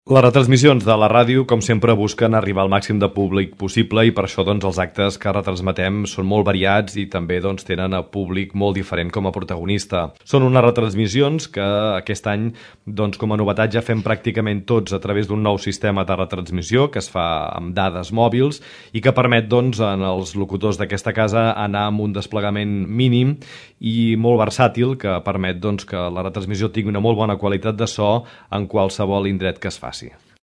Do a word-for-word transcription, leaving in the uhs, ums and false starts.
Les retransmissions de la ràdio, com sempre, busquen arribar al màxim de públic possible i per això doncs, els actes que retransmetem són molt variats i també doncs, tenen a públic molt diferent com a protagonista. Són unes retransmissions que aquest any, doncs, com a novetat, ja fem pràcticament tots a través d'un nou sistema de retransmissió que es fa amb dades mòbils i que permet doncs, en els locutors d'aquesta casa anar amb un desplegament mínim i molt versàtil que permet doncs, que la retransmissió tingui una molt bona qualitat de so en qualsevol indret que es faci.